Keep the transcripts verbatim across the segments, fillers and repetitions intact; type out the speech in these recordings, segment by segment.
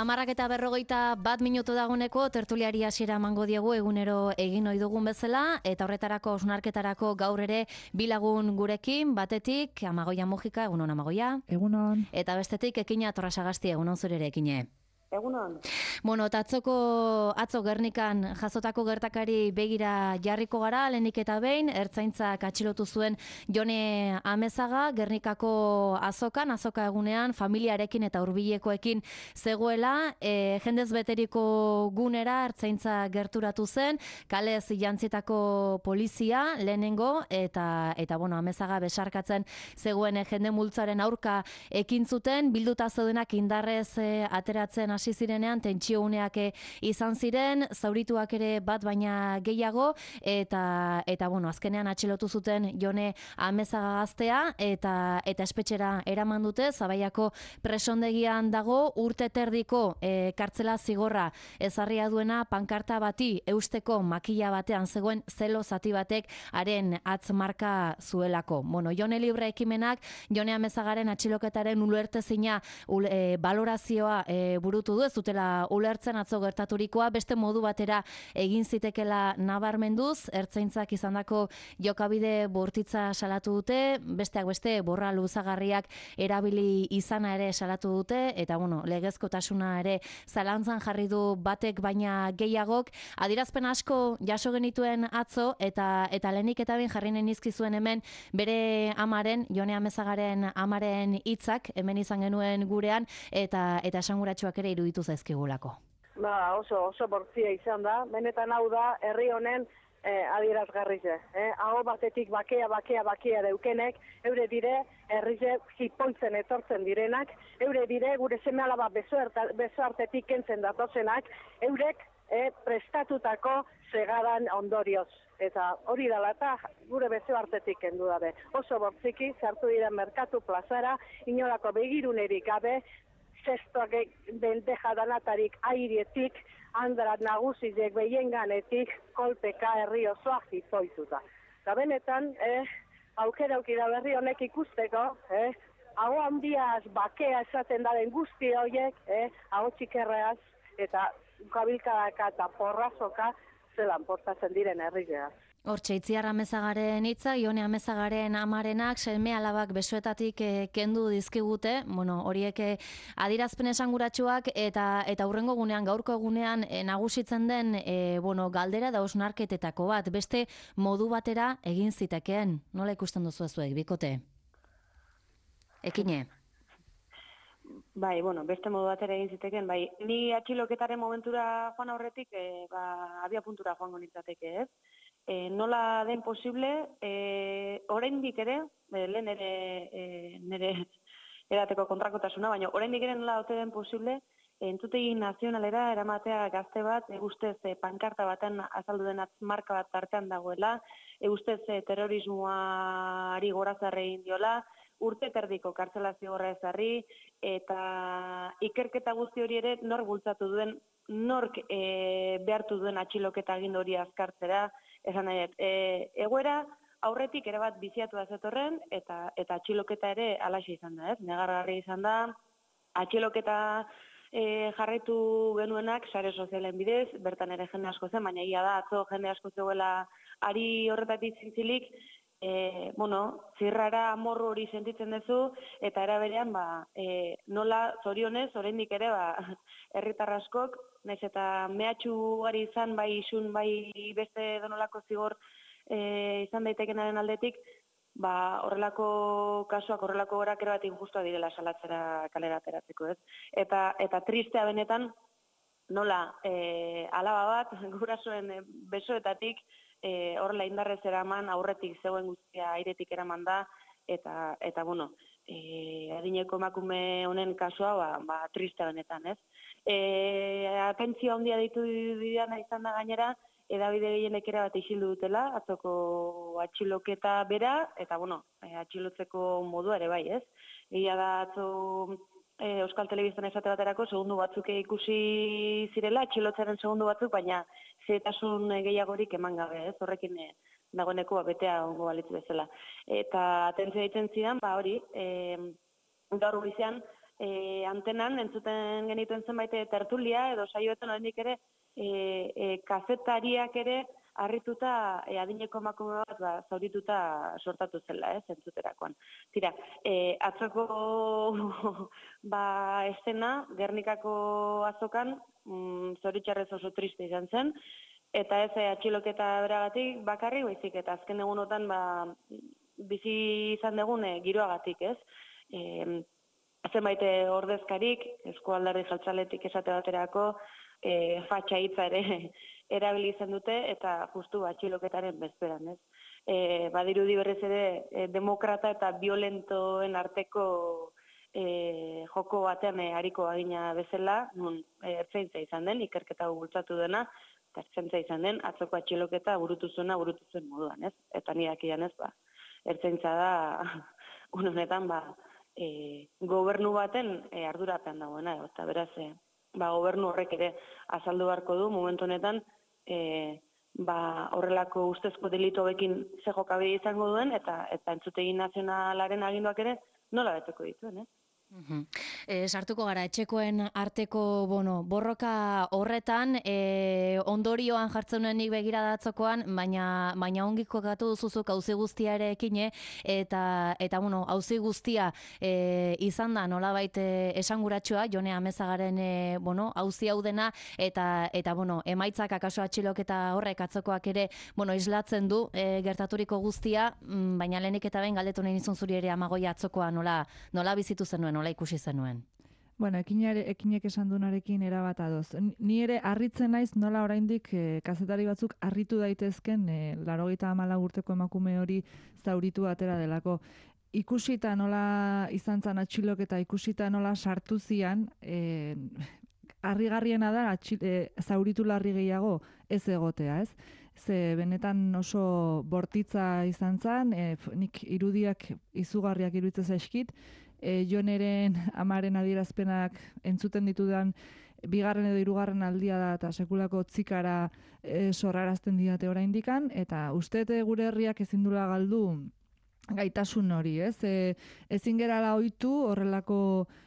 Amarrak eta berrogeita bat minutu daguneko tertuliari hasiera emango diegu egunero egin ohi dugun bezala, eta horretarako osnarketarako gaur ere bi lagun gurekin, batetik Amagoia Mujika, egunon Amagoia. Egunon. Eta bestetik Ekina Torrasagasti, egunon zure ere Ekine. Egunon. Bueno, eta atzoko, atzo Gernikan jasotako gertakari begira jarriko gara, lehenik eta behin, ertzaintzak atxilotu zuen Jone Amezaga, Gernikako azokan, azoka egunean, familiarekin eta hurbilekoekin zegoela, e, jendez beteriko gunera ertzaintza gerturatu zen, kalez jantzitako polizia lehenengo, eta, eta bueno, Amezaga besarkatzen zegoen jende multzaren aurka ekin zuten, bilduta zeudenak indarrez e, ateratzen hasi zirenean tentsio uneak izan ziren, zaurituak ere bat baina gehiago, eta eta bueno, azkenean atxilotu zuten Jone Amezaga gaztea, eta eta espetxera eraman dute, Zabaiako presondegian dago, urte terdiko e, kartzela zigorra ezarria duena pankarta bati eusteko makila batean zegoen zelo zati batek haren atzmarka zuelako. Bueno, Jone Libre ekimenak Jone Amezagaren atxiloketaren ulertezina ul, e, balorazioa e, burutu du, ez dutela ulertzen atzo gertaturikoa, beste modu batera egin zitekela nabarmenduz, ertzaintzak izandako jokabide bortitza salatu dute, besteak beste borra luzagarriak erabili izana ere salatu dute, eta bueno, legezkotasuna ere zalantzan jarri du batek baina gehiagok, adierazpen asko jaso genituen atzo, eta eta lehenik eta behin jarri nizkizuen hemen bere amaren, Jone Amezagaren amaren hitzak hemen izan genuen gurean, eta eta esanguratsuak ere iruditu zaizkigulako. Ba, oso, oso bortzia izan da, benetan hau da, herri honen eh, adierazgarrize. Eh? Aho batetik bakea, bakea, bakea deukenek, eure dire, herrize jipoitzen etortzen direnak, eure dire, gure seme-alaba besoartetik kentzen datozenak, eurek eh, prestatutako segadan ondorioz. Eta hori dela eta gure besoartetik kendu dabe. Oso bortziki, sartu dira merkatu plazara, inolako begirunerik gabe, zestoak bendeja danatarik airietik, handrat nagusizek behienganetik, kolpeka herri osoa jipoituta. Eta benetan, eh, aukera aukira berri honek ikusteko, eh, hau handiaz bakea esaten daren guzti horiek, eh, hau txikerreaz eta kabilkadaka eta porrazoka zelan portatzen diren herrigeaz. Hortxe, Itziar Amezagaren hitza, Jone Amezagaren amarenak, seme alabak besoetatik e, kendu dizkigute, bueno, horiek e, adirazpen esanguratsuak, eta eta hurrengo gunean, gaurko egunean e, nagusitzen den e, bueno, galdera da osnarketetako bat, beste modu batera egin zitekeen. Nola ikusten duzu zuek, bikote? Ekine? Bai, bueno, beste modu batera egin zitekeen, bai, ni atxiloketaren momentura joan aurretik, e, ba, abia puntura joango nintzateke, ez? E, nola den posible, e, oraindik ere, e, lehen ere e, nire edateko kontrakotasuna, baina oraindik ere nola ote den posible, e, entzutegi nazionalera eramatea gazte bat, e, ustez e, pankarta baten azaldu den atzmarka bat tartean dagoela, e, ustez e, terrorismoari gorazarre egin diola, urte terdiko kartzela zigorra ezarri, eta ikerketa guzti hori ere nork bultzatu duen, nork e, behartu duen atxiloketa agindu hori azkartzera, esan nahi, e, egoera aurretik ere bat biziatu da zetorren, eta eta atxiloketa ere alaxe izan da, ez? Negargarri izan da, atxiloketa e, jarraitu genuenak sare sozialen bidez, bertan ere jende asko zen, baina ia da, atzo jende asko zegoela ari horretatik zintzilik, e, bueno, zirrara amorru hori sentitzen duzu, eta era berean, ba, e, nola zorionez, oraindik ere, ba, herritar askok, naiz eta mehatxu gari izan, bai isun, bai beste donolako zigor e, izan daitekenaren aldetik, ba, horrelako kasuak, horrelako gorak ere bat injustua direla salatzera kalera ateratzeko, ez? Eta, eta tristea benetan, nola e, alaba bat, gurasoen e, besoetatik, e, horrela indarrez eraman, aurretik zegoen guztia airetik eraman da, eta, eta bueno, e, adineko emakume honen kasua, ba, ba tristea benetan, ez? E, atentzio handia ditu didana izan da gainera, edabide gehienek ere bat isildu dutela, atzoko atxiloketa bera, eta bueno, e, atxilotzeko modua ere bai, ez? Egia da atzo e, Euskal Telebistan esate baterako segundu batzuk ikusi zirela, atxilotzaren segundu batzuk, baina zetasun gehiagorik eman gabe, ez? Horrekin e, dagoeneko betea ongo balitzu bezala. Eta atentzio egiten zidan, ba hori, e, gaur goizean, e, antenan entzuten genituen zenbait tertulia edo saioetan oraindik ere e, e, kazetariak ere harrituta e, adineko emakume bat ba, zaurituta sortatu zela, ez, entzuterakoan. Tira, e, atzoko ba, estena, Gernikako azokan, mm, zoritxarrez oso triste izan zen, eta ez e, atxiloketa beragatik bakarri, baizik eta azken egunotan ba, bizi izan dugun e, giroagatik, ez? E, zenbait ordezkarik, eskualderdi jeltzaletik esate baterako, e, fatxa hitza ere erabili izan dute, eta justu atxiloketaren bezperan, ez? E, badirudi berriz ere e, demokrata eta violentoen arteko e, joko batean e, hariko agina bezala, nun e, ertzaintza izan den, ikerketa bultzatu dena, eta ertzaintza izan den, atzoko atxiloketa burutu zuena burutu zuen moduan, ez? Eta nirak ian ez, ba, ertzaintza da, honetan, ba, e, gobernu baten e, ardurapean dagoena, eta beraz, e, ba, gobernu horrek ere azaldu beharko du, momentu honetan, e, ba, horrelako ustezko delitu bekin ze jokabide izango duen, eta, eta entzutegi nazionalaren aginduak ere nola beteko dituen, eh? Uhum. E, sartuko gara, etxekoen arteko bueno, borroka horretan, e, ondorioan jartzen nuenik begira datzokoan, baina, baina ongiko gatu duzuzuk auzi guztia ere ekine, eta, eta bueno, auzi guztia e, izan da nolabait esanguratsua, Jone Amezagaren e, bueno, auzi hau dena, eta, eta bueno, emaitzak akaso atxiloketa horrek atzokoak ere bueno, islatzen du e, gertaturiko guztia, mm, baina lehenik eta behin galdetu nahi nizun zuri ere Amagoia atzokoa nola, nola bizitu zenuen, nola ikusi zenuen? Bueno, ekinare, ekinek esan dunarekin erabat adoz. Ni ere harritzen naiz nola oraindik e, kazetari batzuk harritu daitezken e, laurogeita hamalau urteko emakume hori zauritu atera delako. Ikusita nola izan zan atxiloketa, ikusita nola sartu zian, e, harrigarriena da atxil, e, zauritu larri gehiago ez egotea, ez? Ze benetan oso bortitza izan zan, e, nik irudiak izugarriak iruditzen zaizkit, E, Joneren amaren adierazpenak entzuten ditudan bigarren edo hirugarren aldia da eta sekulako tzikara e, sorrarazten didate oraindikan, eta uste gure herriak ezin dula galdu gaitasun hori, ez? E, ezin gerala ohitu horrelako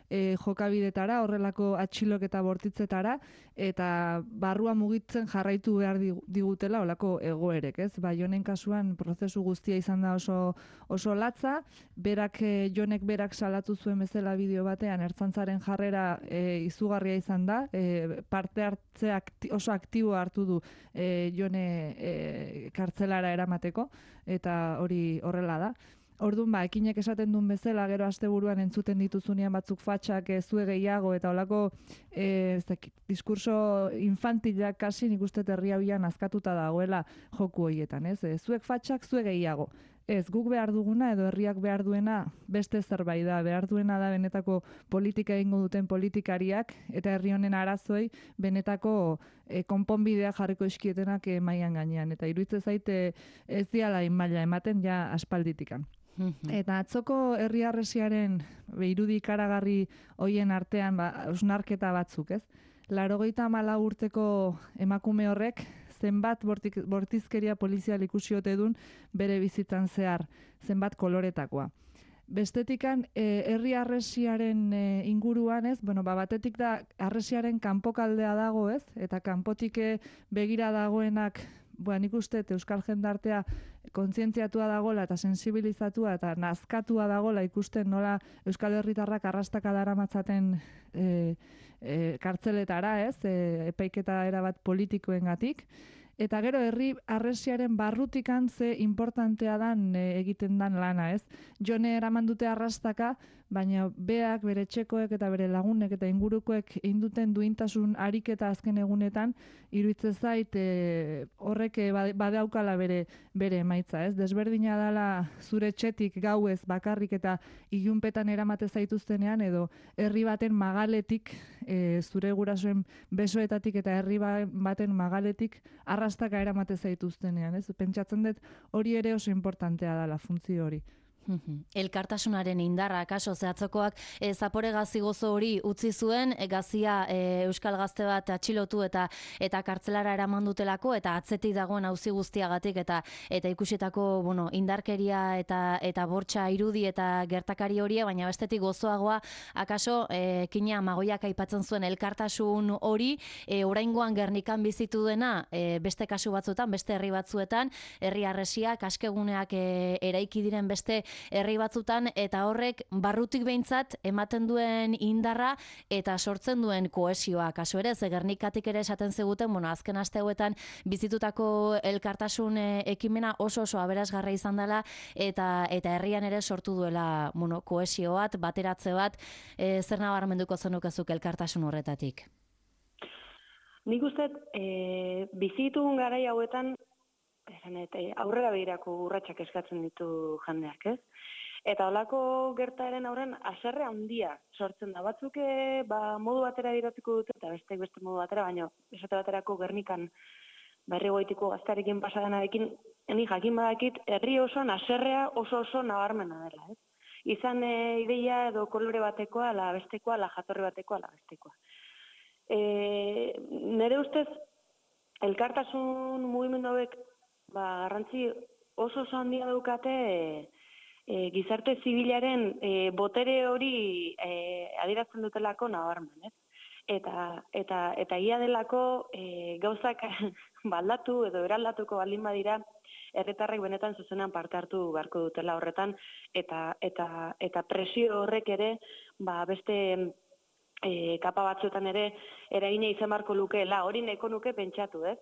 e, jokabidetara, horrelako atxiloketa bortitzetara, eta barrua mugitzen jarraitu behar digutela olako egoerek, ez? Ba, Jonen kasuan prozesu guztia izan da oso, oso latza, berak, e, Jonek berak salatu zuen bezala bideo batean, ertzaintzaren jarrera e, izugarria izan da, e, parte hartze akti, oso aktibo hartu du e, Jone e, kartzelara eramateko, eta hori horrela da. Orduan, ba, ekinek esaten duen bezala, gero asteburuan entzuten dituzunean batzuk fatxak e, zue gehiago, eta holako e, diskurso infantilak kasi nik uste herria bian azkatuta dagoela joku horietan, ez? E, zuek fatxak, zue gehiago. Ez, guk behar duguna edo herriak behar duena beste zerbait da, behar duena da benetako politika egingo duten politikariak eta herri honen arazoi benetako e, konponbidea jarriko eskietenak e, mailan gainean. Eta iruditzen zaite ez diala maila ematen ja aspalditikan. Eta atzoko herri harresiaren irudi ikaragarri hoien artean ba, osnarketa batzuk, ez? Laurogeita hamalau urteko emakume horrek zenbat bortik, bortizkeria polizial ikusi ote dun bere bizitzan zehar, zenbat koloretakoa. Bestetikan, e, herri harresiaren e, inguruan, ez? Bueno, ba, batetik da harresiaren kanpokaldea dago, ez? Eta kanpotik begira dagoenak, Ba, nik uste euskal jendartea kontzientziatua dagola eta sensibilizatua eta nazkatua dagola ikusten nola euskal herritarrak arrastaka daramatzaten e, e, kartzeletara, ez, e, epaiketa erabat politikoengatik. Eta gero herri harresiaren barrutikan ze importantea dan e, egiten dan lana, ez? Jone eraman dute arrastaka, baina beak, bere txekoek eta bere lagunek eta ingurukoek induten duintasun ariketa azken egunetan, iruditzen zait e, horrek badaukala bere bere emaitza, ez? Desberdina dala zure txetik gauez bakarrik eta ilunpetan eramate zaituztenean edo herri baten magaletik, e, zure gurasoen besoetatik eta herri baten magaletik arrastaka eramate zaituztenean, ez? Pentsatzen dut hori ere oso importantea dela funtzio hori. Elkartasunaren indarra, kaso, zehatzokoak e, zapore gazi gozo hori utzi zuen, e, gazia e, Euskal Gazte bat atxilotu eta eta kartzelara eraman dutelako, eta atzetik dagoen auzi guztiagatik, eta eta ikusitako bueno, indarkeria eta eta bortxa irudi eta gertakari horia, baina bestetik gozoagoa, akaso, e, Kina Magoiak aipatzen zuen elkartasun hori, e, oraingoan Gernikan bizitu dena, e, beste kasu batzuetan, beste herri batzuetan, herri harresiak, askeguneak e, eraiki diren beste herri batzutan, eta horrek barrutik behintzat ematen duen indarra eta sortzen duen kohesioa. Kasu ere, ze Gernikatik ere esaten ziguten, bueno, azken aste hauetan bizitutako elkartasun e, ekimena oso oso aberasgarra izan dela, eta eta herrian ere sortu duela, bueno, kohesio bat, bateratze bat, e, zer nabarmenduko zenukezuk elkartasun horretatik? Nik uste, e, bizitun garai hauetan, Esanet, aurrera behirako urratsak eskatzen ditu jendeak, ez? Eta holako gertaeren aurren haserre handia sortzen da. Batzuk ba, modu batera diratuko dute, eta beste beste modu batera, baina esate baterako Gernikan berri goitiko gaztarekin pasadanarekin, eni jakin badakit, herri osoan haserrea oso oso nabarmena dela, ez? Izan e, ideia edo kolore batekoa, ala bestekoa, ala jatorri batekoa, ala bestekoa. E, nere ustez, elkartasun mugimendu hauek ba, garrantzi oso oso handia daukate e, e, gizarte zibilaren e, botere hori e, adierazten dutelako nabarmen, ez? Eta, eta, eta ia delako e, gauzak baldatu edo eraldatuko baldin badira, herritarrek benetan zuzenean parte hartu beharko dutela horretan, eta, eta, eta presio horrek ere ba, beste e, kapa batzuetan ere eragina izan beharko lukeela, hori nahiko nuke pentsatu, ez?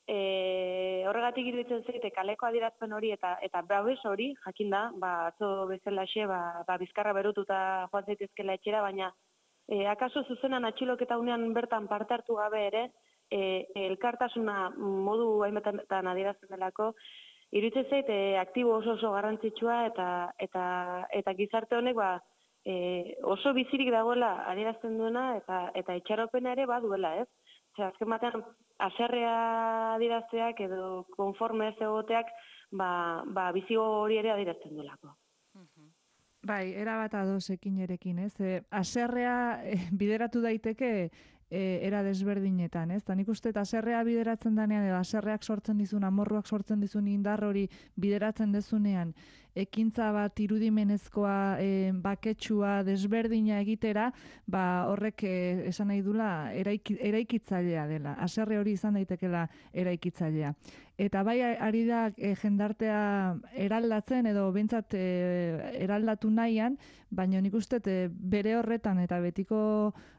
E, horregatik iruditzen zaite kaleko adierazpen hori eta eta babes hori, jakin da, ba, atzo bezalaxe, ba, ba, bizkarra berututa joan zaitezkela etxera, baina e, akaso zuzenan atxiloketa unean bertan parte hartu gabe ere, e, elkartasuna modu hainbetan adierazten delako, iruditzen zait e, aktibo oso oso garrantzitsua eta, eta, eta gizarte honek ba, e, oso bizirik dagoela adierazten duena eta, eta itxaropena ere baduela, ez? Zer, azken batean, haserrea adierazteak edo konforme ez egoteak, ba, ba bizi hori ere adierazten duelako. Bai, erabat ados ekinerekin, ez? E, haserrea e, bideratu daiteke e, era desberdinetan, ez? Ta nik uste haserrea bideratzen danean edo haserreak sortzen dizun, amorruak sortzen dizun indar hori bideratzen dezunean, ekintza bat irudimenezkoa, e, baketsua, desberdina egitera, ba horrek e, esan nahi dula eraiki, eraikitzailea dela. Haserre hori izan daitekela eraikitzailea. Eta bai ari da e, jendartea eraldatzen edo behintzat e, eraldatu nahian, baina nik uste e, bere horretan eta betiko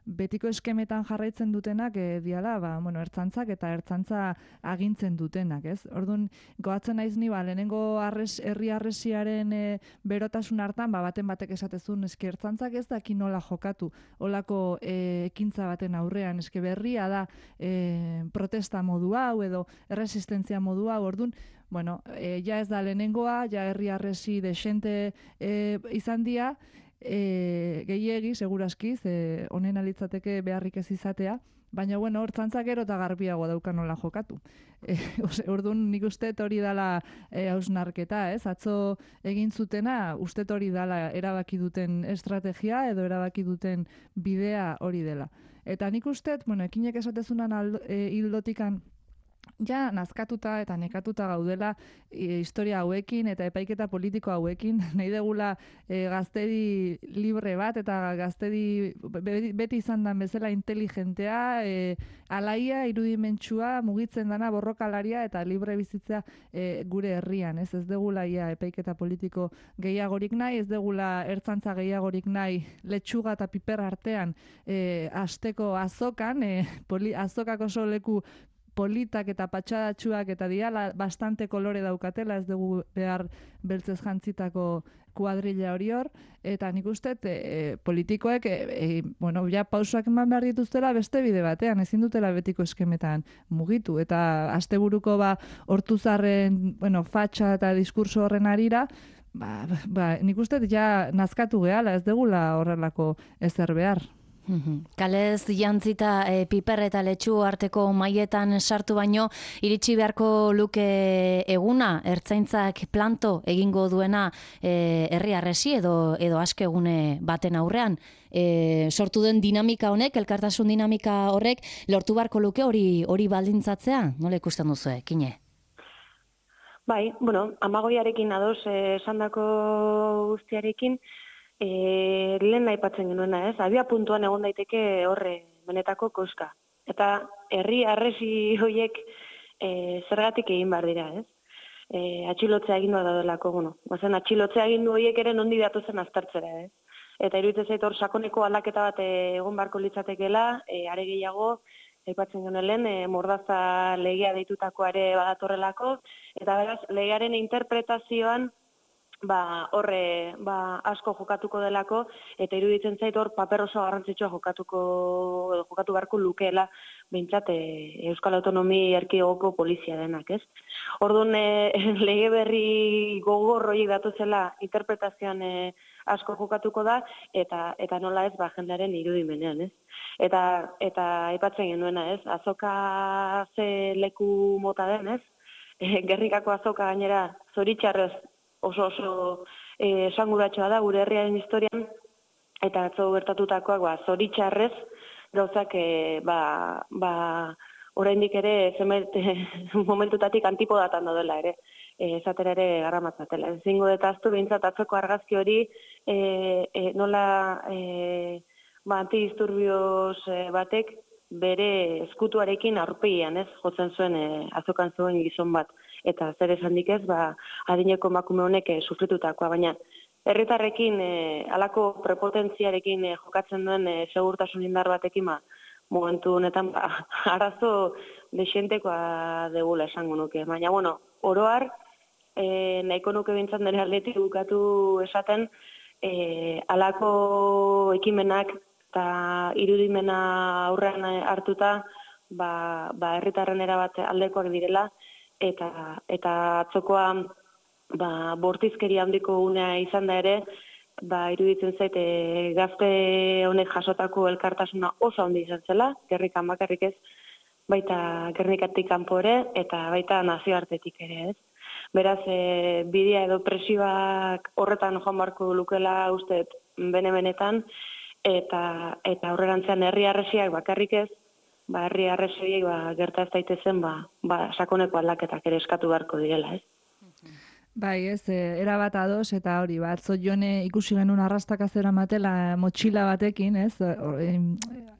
betiko eskemetan jarraitzen dutenak e, diala, ba, bueno, ertzantzak eta ertzantza agintzen dutenak, ez? Orduan, goatzen naiz ni, ba, lehenengo arres, herri arresiaren e, berotasun hartan, ba, baten batek esatezun, eske ertzantzak ez daki nola jokatu, olako e, ekintza baten aurrean, eske berria da e, protesta modu hau edo erresistentzia modu hau, orduan, bueno, e, ja ez da lehenengoa, ja herri arresi desente e, izan dia, e, gehiegi, seguraski, ze honen alitzateke beharrik ez izatea, baina, bueno, hortzantzak gero eta garbiago dauka nola jokatu. E, orduan, nik uste hori dala e, hausnarketa, ez? Atzo egin zutena, uste hori dala erabaki duten estrategia edo erabaki duten bidea hori dela. Eta nik uste, bueno, ekinek esatezunan e, hildotikan, ja nazkatuta eta nekatuta gaudela e, historia hauekin eta epaiketa politiko hauekin, nahi degula e, gaztedi libre bat eta gaztedi beti izan dan bezala inteligentea, e, alaia, irudimentsua, mugitzen dana borrokalaria eta libre bizitzea e, gure herrian, ez ez degula ia epaiketa politiko gehiagorik nahi, ez degula ertzantza gehiagorik nahi letxuga eta piper artean e, asteko azokan, e, poli, azokak oso leku politak eta patxadatxuak eta diala bastante kolore daukatela, ez dugu behar beltzez jantzitako kuadrilla hori hor, eta nik uste e, politikoek e, e, bueno, ja pausoak eman behar dituztela beste bide batean, ezin dutela betiko eskemetan mugitu, eta asteburuko ba hortuzarren, bueno, fatxa eta diskurso horren arira, ba, ba, nik uste ja nazkatu gehala, ez degula horrelako ezer behar. Kalez jantzita e, piper eta letxu arteko maietan sartu baino, iritsi beharko luke eguna, ertzaintzak planto egingo duena e, herri arresi edo, edo askegune baten aurrean. E, sortu den dinamika honek, elkartasun dinamika horrek, lortu beharko luke hori hori baldintzatzea? Nola ikusten duzu, Kine? Bai, bueno, amagoiarekin ados esandako guztiarekin, E, lehen aipatzen genuena, ez? Abia puntuan egon daiteke horre benetako koska. Eta herri arresi hoiek e, zergatik egin behar dira, ez? E, atxilotzea agindua daudelako, bueno. Bazen atxilotzea agindu hoiek ere nondi datozen aztertzera, ez? Eta iruditzen zait hor sakoneko aldaketa bat egon beharko litzatekeela, e, are gehiago, aipatzen genuen lehen, e, mordaza legea deitutako ere badatorrelako, eta beraz, legearen interpretazioan ba horre ba asko jokatuko delako eta iruditzen zait hor paper oso garrantzitsua jokatuko edo jokatu beharko lukeela behintzat e, Euskal Autonomi Erkidegoko polizia denak, ez? Orduan e, lege berri gogor horiek datuzela interpretazioan e, asko jokatuko da eta eta nola ez ba jendearen irudimenean, ez? Eta eta aipatzen genuena, ez? Azoka ze leku mota den, ez? E, Gernikako azoka gainera zoritxarrez oso oso eh, esanguratsua da gure herriaren historian eta atzo gertatutakoak ba zoritxarrez gauzak e, ba ba oraindik ere zenbait momentutatik antipodatan daudela ere e, esatera ere garramatzatela. Ezingo dut ahaztu behintzat atzoko argazki hori e, e, nola e, ba antidisturbios e, batek bere eskutuarekin aurpegian, ez, jotzen zuen e, azokan zuen gizon bat. Eta zer esandik ez, ba, adineko emakume honek e, sufritutakoa, baina herritarrekin e, halako prepotentziarekin e, jokatzen duen e, segurtasun indar batekin, ba, momentu honetan ba, arazo dexentekoa degula esango nuke. Baina, bueno, oroar, e, nahiko nuke bintzat nire aldetik bukatu esaten, e, halako ekimenak eta irudimena aurrean hartuta, ba, ba herritarren erabat aldekoak direla, eta eta atzokoa ba bortizkeria handiko unea izan da ere, ba iruditzen zait e, gazte honek jasotako elkartasuna oso handi izan zela, Gernikan bakarrik ez, baita Gernikatik kanpo ere eta baita nazioartetik ere, ez. Beraz, e, bidea edo presioak horretan joan beharko lukela uste bene-benetan, eta eta aurrerantzean herri harresiak bakarrik ez, ba herri harresiak ba gerta ez daitezen ba ba sakoneko aldaketak ere eskatu beharko direla, ez? Bai, ez, erabat ados eta hori, ba atzo Jone ikusi genuen arrastaka zeramatela motxila batekin, ez?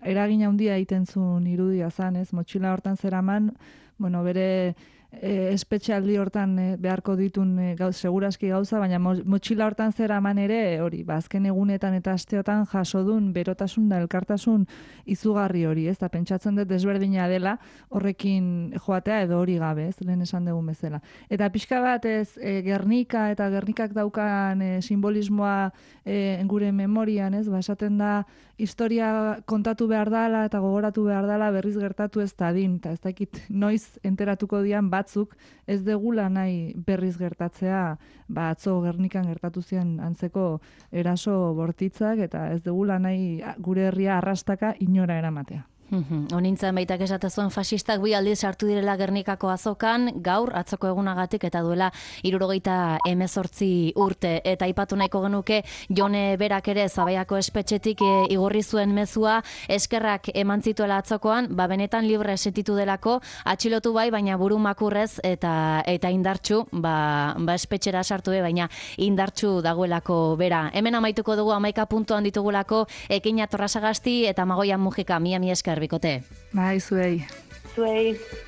Eragin handia egiten zuen irudia zan, ez? Motxila hortan zeraman, bueno, bere E, espetxealdi hortan e, beharko ditun e, gauz, seguraski gauza, baina mo, motxila hortan zeraman ere hori, ba, azken egunetan eta asteotan jaso dun berotasun da elkartasun izugarri hori, ez da pentsatzen dut desberdina dela horrekin joatea edo hori gabe, ez, lehen esan dugun bezala. Eta pixka bat ez e, Gernika eta Gernikak daukan e, simbolismoa e, gure memorian, ez, ba, esaten da historia kontatu behar dala eta gogoratu behar dala berriz gertatu ez dadin, eta ez dakit noiz enteratuko dian batzuk ez degula nahi berriz gertatzea, ba atzo Gernikan gertatu zian antzeko eraso bortitzak eta ez degula nahi gure herria arrastaka inora eramatea. Honintzen baitak esate zuen fasistak bi aldiz sartu direla Gernikako azokan, gaur atzoko egunagatik eta duela hirurogeita hemezortzi urte. Eta aipatu nahiko genuke Jone berak ere Zabaiako espetxetik e, igorri zuen mezua, eskerrak eman zituela atzokoan, ba benetan libre sentitu delako, atxilotu bai, baina buru makurrez eta eta indartsu, ba, ba espetxera sartu be, baina indartsu dagoelako bera. Hemen amaituko dugu hamaika puntuan ditugulako Ekina Torrasagasti eta Magoian Mujika, mia mi esker bikote. Bai, zuei. Zuei.